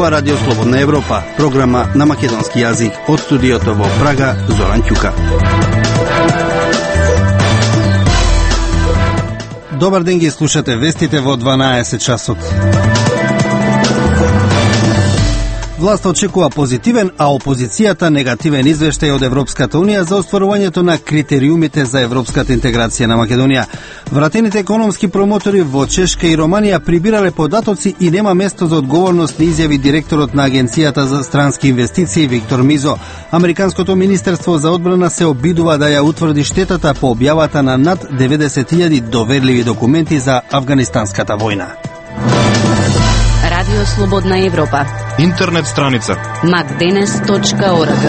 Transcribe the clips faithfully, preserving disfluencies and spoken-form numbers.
ова Радио Слободна Европа, програма на македонски јазик од студиото во Прага, Зоран Ќука. Добар ден, ги слушате вестите во дванаесет часот. Власта очекува позитивен, а опозицијата негативен извештај од Европската Унија за остварувањето на критериумите за европската интеграција на Македонија. Вратените економски промотори во Чешка и Романија прибирале податоци и нема место за одговорност, на изјави директорот на Агенцијата за странски инвестиции Виктор Мизо. Американското министерство за одбрана се обидува да ја утврди штетата по објавата на над деветдесет илјади доверливи документи за афганистанската војна. Радио Слободна Европа. Интернет страница макденес точка орг.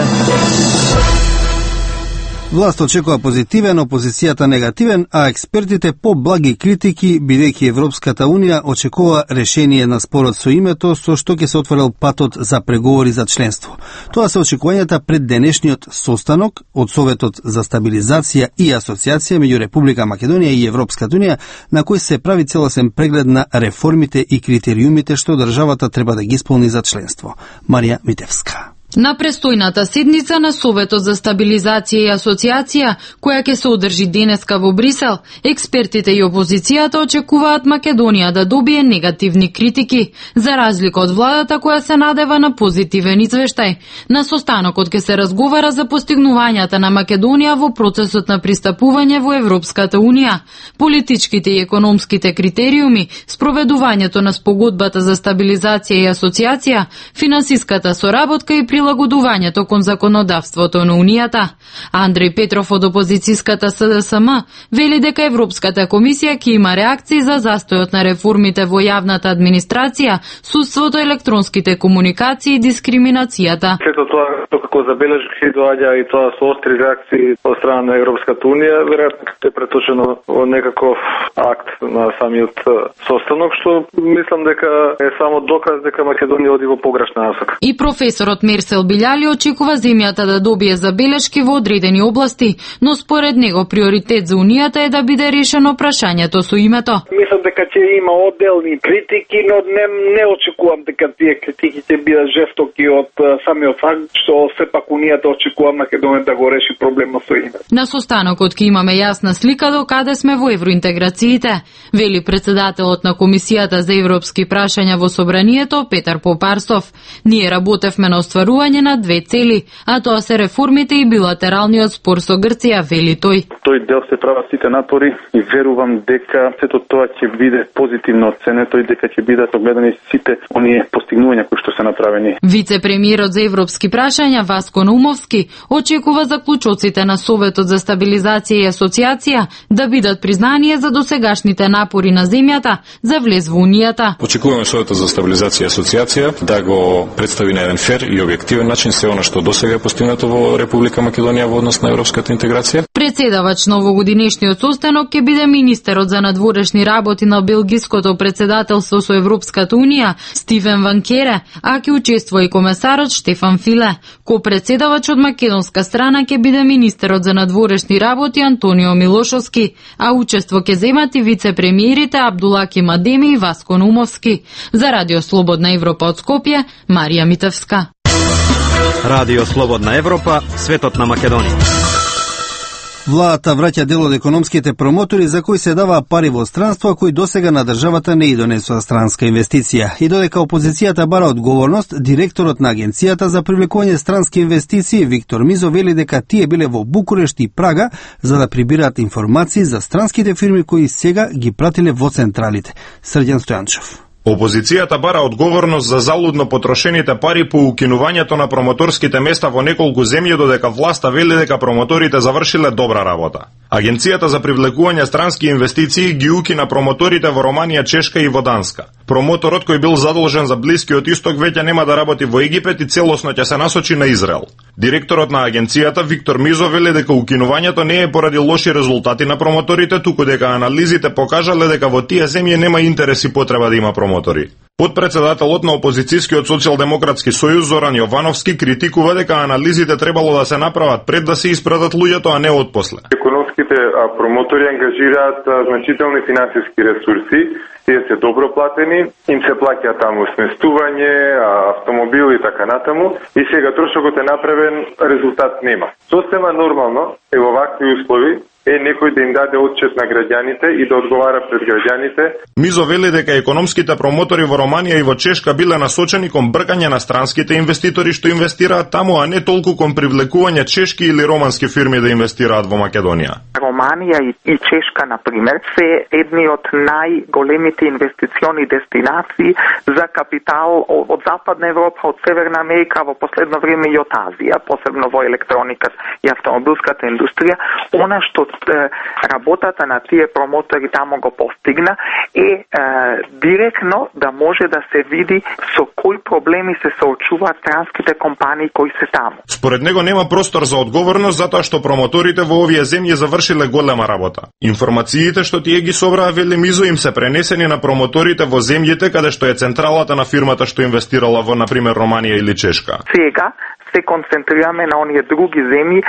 Власт очекува позитивен, опозицијата негативен, а експертите по благи критики, бидејќи Европската Унија очекува решение на спорот со името, со што ќе се отворил патот за преговори за членство. Тоа се очекувањата пред денешниот состанок од Советот за стабилизација и асоциација меѓу Република Македонија и Европската Унија, на кој се прави целосен преглед на реформите и критериумите што државата треба да ги исполни за членство. Марија Митевска. На престојната седница на Советот за стабилизација и асоциација, која ќе се одржи денеска во Брисел, експертите и опозицијата очекуваат Македонија да добие негативни критики, за разлика од владата која се надева на позитивен извештај. На состанокот ќе се разговара за постигнувањата на Македонија во процесот на пристапување во Европската Унија, политичките и економските критериуми, спроведувањето на спогодбата за стабилизација и асоциација, финансиската соработка и прилагодувањето кон законодавството на Унијата. Андреј Петров од опозицијската С Д С М вели дека Европската комисија ќе има реакции за застојот на реформите во јавната администрација, судството, електронските комуникации и дискриминацијата. Сето тоа што како забележки доаѓа и тоа со остри реакции од страна на Европската Унија, веројатно ќе е преточено во некаков акт на самиот состанок, што мислам дека е само доказ дека Македонија оди во погрешна насока. И професорот Мерсел Билјали очекува земјата да добие забелешки во одредени области, но според него приоритет за Унијата е да биде решено прашањето со името. Мислам дека ќе има одделни критики, но не, не очекувам дека тие критики ќе бидат жестоки од самиот факт што сепак Унијата очекува Македонија да го реши проблемот со името. На состанокот ќе имаме јасна слика до каде сме во евроинтеграциите, вели председателот на Комисијата за европски прашања во Собранието Петар Попарсов. Ние работевме на остварување на две цели, а тоа се реформите и билатералниот спор со Грција, вели тој. Тој дел се прават сите напори и верувам дека сето тоа ќе биде позитивно оценето и дека ќе бидат огледани сите оние постигнувања кои што се направени. Вице-премиерот за европски прашања Васко Наумовски очекува заклучоците на Советот за стабилизација и асоциација да бидат признание за досегашните напори на земјата за влез во Унијата. Очекуваме Советот за стабилизација и асоциација да го представи на еден фер и објективен начин се она што досега е постигнато во Република Македонија во однос на европската интеграција. Председавач на овогодинешниот состанок ќе биде министерот за надворешни работи на белгиското председателство со Европската Унија Стивен Ван Кере, а ќе учествува и комесарот Штефан Филе. Ко-председавач од македонска страна ќе биде министерот за надворешни работи Антонио Милошовски, а учество ќе земат и вице-премиерите Абдулаки Мадеми и Васко Наумовски. За Радио Слободна Европа од Скопје, Марија Митевска. Радио Слободна Европа, светот на Македонија. Владата враќа дел од економските промотори за кои се даваа пари во странство, кои досега на државата не и донесува странска инвестиција. И додека опозицијата бара одговорност, директорот на Агенцијата за привлекување странски инвестиции Виктор Мизо вели дека тие биле во Букурешт и Прага за да прибираат информации за странските фирми кои сега ги пратиле во централите. Срđan Стојанчев. Опозицијата бара одговорност за залудно потрошените пари по укинувањето на промоторските места во неколку земји, додека власта вели дека промоторите завршиле добра работа. Агенцијата за привлекување странски инвестиции ги укина промоторите во Романија, Чешка и во Данска. Промоторот кој бил задолжен за Блискиот Исток веќе нема да работи во Египет и целосно ќе се насочи на Израел. Директорот на агенцијата Виктор Мизо вели дека укинувањето не е поради лоши резултати на промоторите, туку дека анализите покажале дека во тие земји нема интерес и потреба да има промотори. Подпредседателот на опозицијскиот социјалдемократски сојуз Зоран Јовановски критикува дека анализите требало да се направат пред да се испратат луѓето, а не отпосле. Економските промотори ангажираат значителни финансиски ресурси, тие се добро платени, им се плаќа таму сместување, автомобил и така натаму, и сега трошокот е направен, резултат нема. Сосема нормално е во вакви услови е некој да им даде отчет на граѓаните и да одговара пред граѓаните. Мизо вели дека економските промотори во Романија и во Чешка биле насочени кон бркање на странските инвеститори што инвестираат таму, а не толку кон привлекување чешки или романски фирми да инвестираат во Македонија. Романија и, и Чешка, например, се едни од најголемите инвестициони дестинации за капитал од Западна Европа, од Северна Америка, во последно време и од Азија, посебно во електроника и автомобилската индустрија. Она што работата на тие промотори тамо го постигна е, е директно да може да се види со кои проблеми се соочуваат транските компании кои се таму. Според него нема простор за одговорност затоа што промоторите во овие земји завршиле голема работа. Информациите што тие ги собраа, вели Мизо, им се пренесени на промоторите во земјите каде што е централата на фирмата што инвестирала во, например, Романија или Чешка. Сега се концентрираме на оние други земји,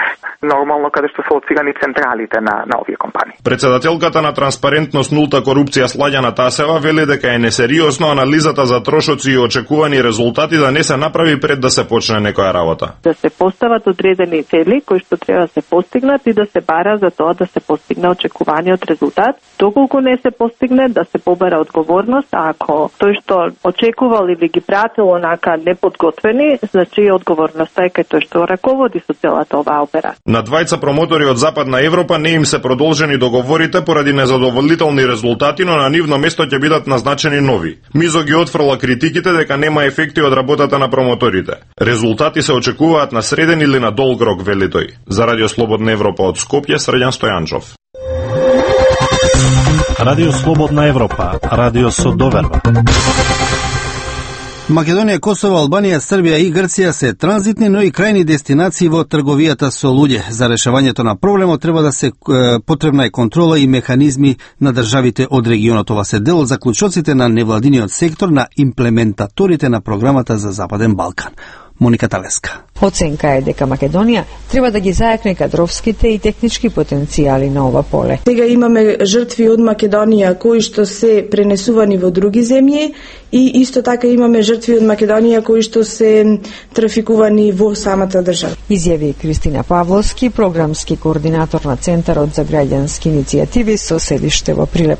нормално каде што се лоцирани централите на, на овие компании. Председателката на Транспарентност нулта корупција Сладјана Тасева вели дека е несериозно анализата за трошоци и очекувани резултати да не се направи пред да се почне некоја работа. Да се постават одредени цели кои што треба да се постигнат и да се бара за тоа да се постигне очекуваниот резултат. Доколку не се постигне, да се побера одговорност, а ако тој што очекувал или ги пратил онака неподготвени, значи и одговорност кај тој што раководи со целата оваа операција. На двајца промотори од Западна Европа не им се продолжени договорите поради незадоволителни резултати, но на нивно место ќе бидат назначени нови. Мизо ги отфрла критиките дека нема ефекти од работата на промоторите. Резултати се очекуваат на среден или на долг рок, вели тој. За Радио Слободна Европа од Скопје, Срđan Стојанчов. Радио Слободна Европа, радио со доверба. Македонија, Косово, Албанија, Србија и Грција се транзитни, но и крајни дестинации во трговијата со луѓе. За решавањето на проблемот треба да се е, потребна е контрола и механизми на државите од регионот. Ова се дел од заклучоците на невладиниот сектор на имплементаторите на програмата за Западен Балкан. Моника Талеска. Оценка е дека Македонија треба да ги зајакне кадровските и технички потенцијали на ова поле. Сега имаме жртви од Македонија кои што се пренесувани во други земји и исто така имаме жртви од Македонија кои што се трафикувани во самата држава. Изјави Кристина Павловски, програмски координатор на Центарот за граѓански иницијативи со седиште во Прилеп.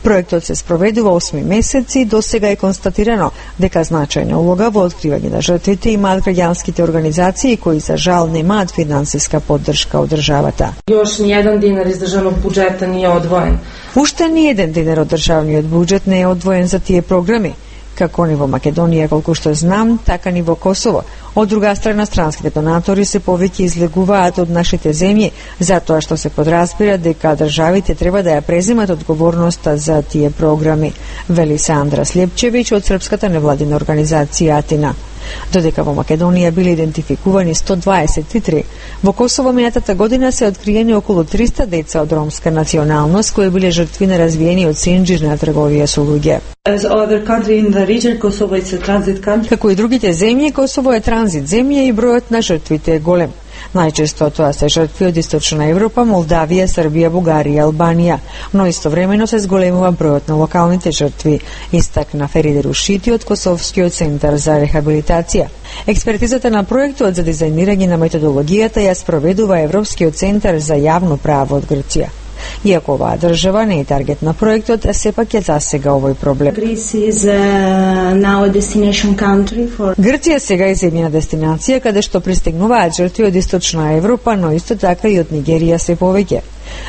Проектот се спроведува осми месеци и досега е констатирано дека значајна улога во откривање на жртвите имаат граѓанските организации кои за жал немаат финансиска поддршка од државата. Још ни еден динар из државnog буџета не е одвоен. Уште ни еден динар од државниот буџет не е одвоен за тие програми. Како ни во Македонија, колку што знам, така ни во Косово. Од друга страна, странските донатори се повеќе излегуваат од нашите земји, затоа што се подразбира дека државите треба да ја преземат одговорноста за тие програми, вели Сандра Слепчевиќ од српската невладина организација Атина. Додека во Македонија биле идентификувани сто дваесет и три, во Косово минатата година се откриени околу триста деца од ромска националност кои биле жртви на развиениот синџир на трговија со луѓе. Како и другите земји, Косово е транзит земја и бројот на жртвите е голем. Најчесто тоа се жртви од Источна Европа, Молдавија, Србија, Бугарија и Албанија, но истовремено се зголемува бројот на локалните жртви, истакна Фериде Рушити од Косовскиот центар за рехабилитација. Експертизата на проектот за дизајнирање на методологијата ја спроведува Европскиот центар за јавно право од Грција. Иако оваа држава не е таргет на проектот, сепак ја засега овој проблем. Грција сега е земјна дестинација каде што пристигнуваат жртви од Источна Европа, но исто така и од Нигерија се повеќе.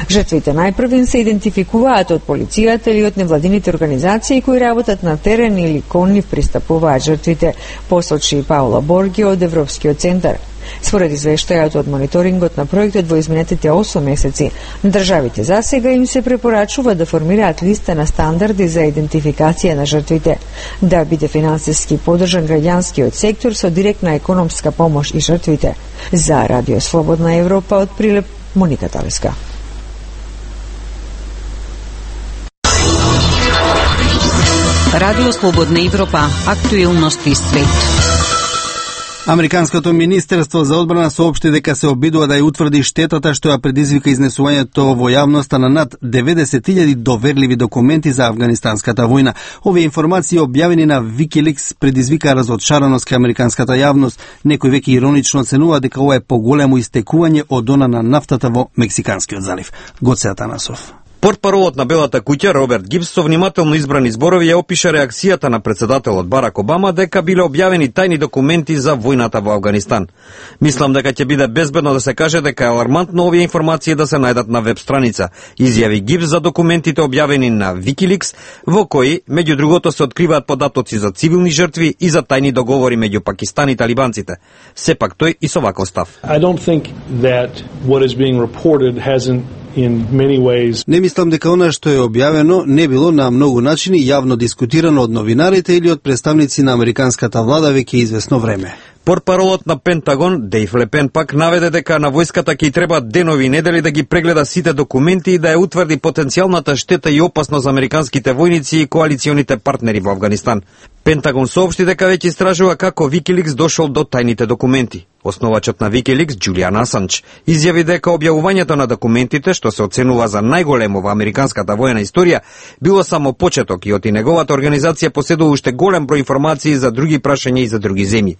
Жртвите најпрвин се идентификуваат од полицијата или од невладините организации кои работат на терен или кон нив пристапуваат жртвите, посочи Паула Борги од Европскиот центар. Според извештајот од мониторингот на проектот во изминатите осум месеци, на државите засега им се препорачува да формираат листа на стандарди за идентификација на жртвите, да биде финансиски поддржан граѓанскиот сектор со директна економска помош и жртвите. За Радио Слободна Европа од Прилеп, Моника Талеска. Радио Слободна Европа, актуелности свет. Американското министерство за одбрана соопшти дека се обидува да ја утврди штетата што ја предизвика изнесувањето во јавноста на над деветдесет илјади доверливи документи за афганистанската војна. Овие информации објавени на Wikileaks предизвика разочараност кај американската јавност. Некој веќе иронично оценува дека ова е поголемо истекување од она на нафтата во Мексиканскиот залив. Гоце Атанасов. Портпаролот на Белата куќа Роберт Гибс со внимателно избрани зборови ја опиша реакцијата на претседателот Барак Обама дека биле објавени тајни документи за војната во Авганистан. Мислам дека ќе биде безбедно да се каже дека е алармантно овие информации да се најдат на веб страница, изјави Гибс за документите објавени на Wikileaks, во кои меѓу другото се откриваат податоци за цивилни жртви и за тајни договори меѓу Пакистан и талибанците. Сепак тој и со ваков став. I don't think that what is being reported hasn't in many ways. Не мислам дека она што е објавено не било на многу начини јавно дискутирано од новинарите или од представници на американската влада веќе извесно време. Портпаролот на Пентагон, Дейв Лепен, пак наведе дека на војската ќе треба денови и недели да ги прегледа сите документи и да ја утврди потенцијалната штета и опасност за американските војници и коалиционите партнери во Авганистан. Пентагон соопшти дека веќе истражува како Wikileaks дошол до тајните документи. Основачот на Wikileaks, Џулијан Асанџ, изјави дека објавувањето на документите, што се оценува за најголемо во американската војна историја, било само почеток и оти неговата организација поседува уште голем број информации за други прашања и за други земји.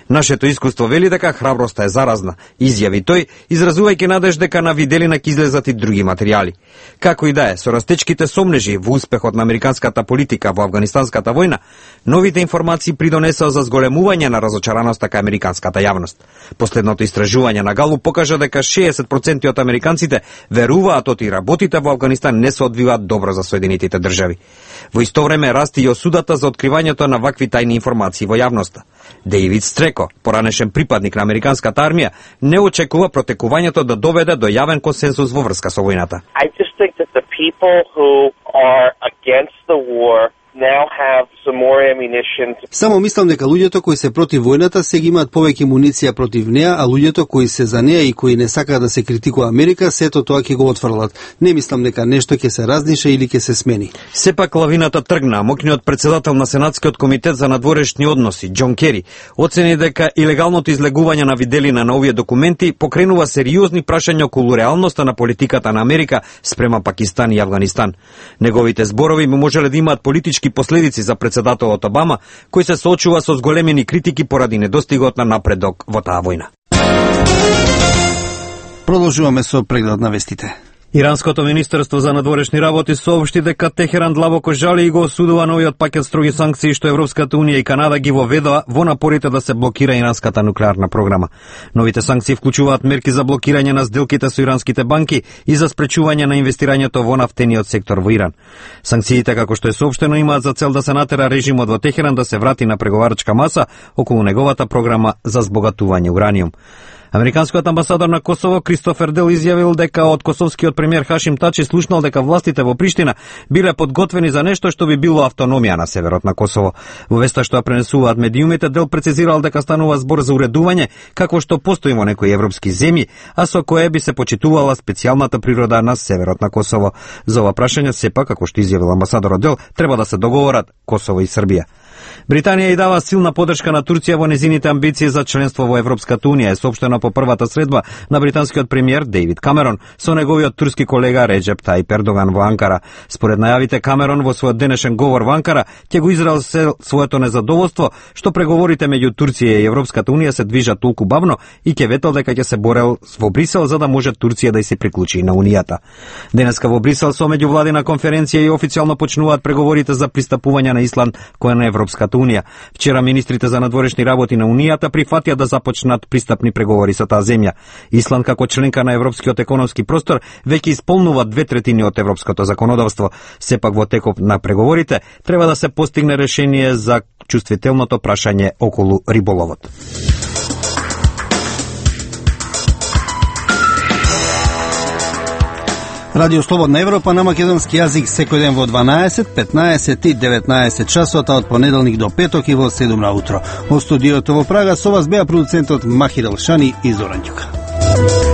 Нашето искуство вели дека храброста е заразна, изјави тој, изразувајќи надеж дека на виделина ќе излезат и други материјали. Како и да е, со растечките сомнежи во успехот на американската политика во афганистанската војна, новите информации придонесоа за зголемување на разочараноста кај американската јавност. Последното истражување на Галуп покажа дека шеесет проценти од американците веруваат оти работите во Авганистан не се одвиваат добро за Соединетите држави. Во исто време расти и осудата за откривањето на вакви тајни информации во јавноста. Дејвид Стреко, поранешен припадник на американската армија, не очекува протекувањето да доведе до јавен консенсус во врска со војната. I just think that the people who are against the war now have some more ammunition. Само мислам дека луѓето кои се против војната сега имаат повеќе муниција против неа, а луѓето кои се за неа и кои не сакаат да се критикува Америка, сето тоа ќе го отфрлат. Не мислам дека нешто ќе се раздише или ќе се смени. Сепак лавината тргна. Мокниот председател на Сенатскиот комитет за надворешни односи, Џон Кери, оцени дека илегалното излегување на виделина на овие документи покренува сериозни прашања околу реалноста на политиката на Америка спрема Пакистан и Авганистан. Неговите зборови би можеле да имаат политички последици за председателот Обама, кој се соочува со зголемени критики поради недостигот на напредок во таа војна. Продолжуваме со преглед на вестите. Иранското министерство за надворешни работи соопшти дека Техеран длабоко жали и го осудува новиот пакет строги санкции што Европската унија и Канада ги воведоа во напорите да се блокира иранската нуклеарна програма. Новите санкции вклучуваат мерки за блокирање на сделките со иранските банки и за спречување на инвестирањето во нафтениот сектор во Иран. Санкциите, како што е соопштено, имаат за цел да се натера режимот во Техеран да се врати на преговарачка маса околу неговата програма за збогатување ураниум. Американскиот амбасадор на Косово Кристофер Дел изјавил дека од косовскиот премиер Хашим Тачи слушнал дека властите во Приштина биле подготвени за нешто што би било автономија на северот на Косово. Во веста што ја пренесуваат медиумите, Дел прецизирал дека станува збор за уредување како што постои во некои европски земји, а со кое би се почитувала специјалната природа на северот на Косово. За ова прашање сепак, како што изјавил амбасадорот Дел, треба да се договорат Косово и Србија. Британија и дава силна поддршка на Турција во незините амбиции за членство во Европската унија, е соопштено по првата средба на британскиот премиер Дејвид Камерон со неговиот турски колега Реджеп Тајип Ердоган во Анкара. Според најавите, Камерон во својот денешен говор во Анкара ќе го изрази своето незадоволство што преговорите меѓу Турција и Европската унија се движат толку бавно и ќе ветел дека ќе се борел во Брисел за да може Турција да и се приклучи на унијата. Денеска во Брисел со меѓувладина конференција и официјално почнуваат преговорите за пристапување на Исланд кој на Европската унија. Вчера министрите за надворешни работи на унијата прифатија да започнат пристапни преговори со таа земја. Исланд како членка на Европскиот економски простор веќе исполнува две третини од европското законодавство. Сепак во текот на преговорите треба да се постигне решение за чувствителното прашање околу риболовот. Радио Слободна Европа на македонски јазик секој ден во дванаесет, петнаесет и деветнаесет часот, од понеделник до петок и во седум на утро. Во студиото во Прага со вас беа продуцентот Махир Елшани и Зоран Ѓука.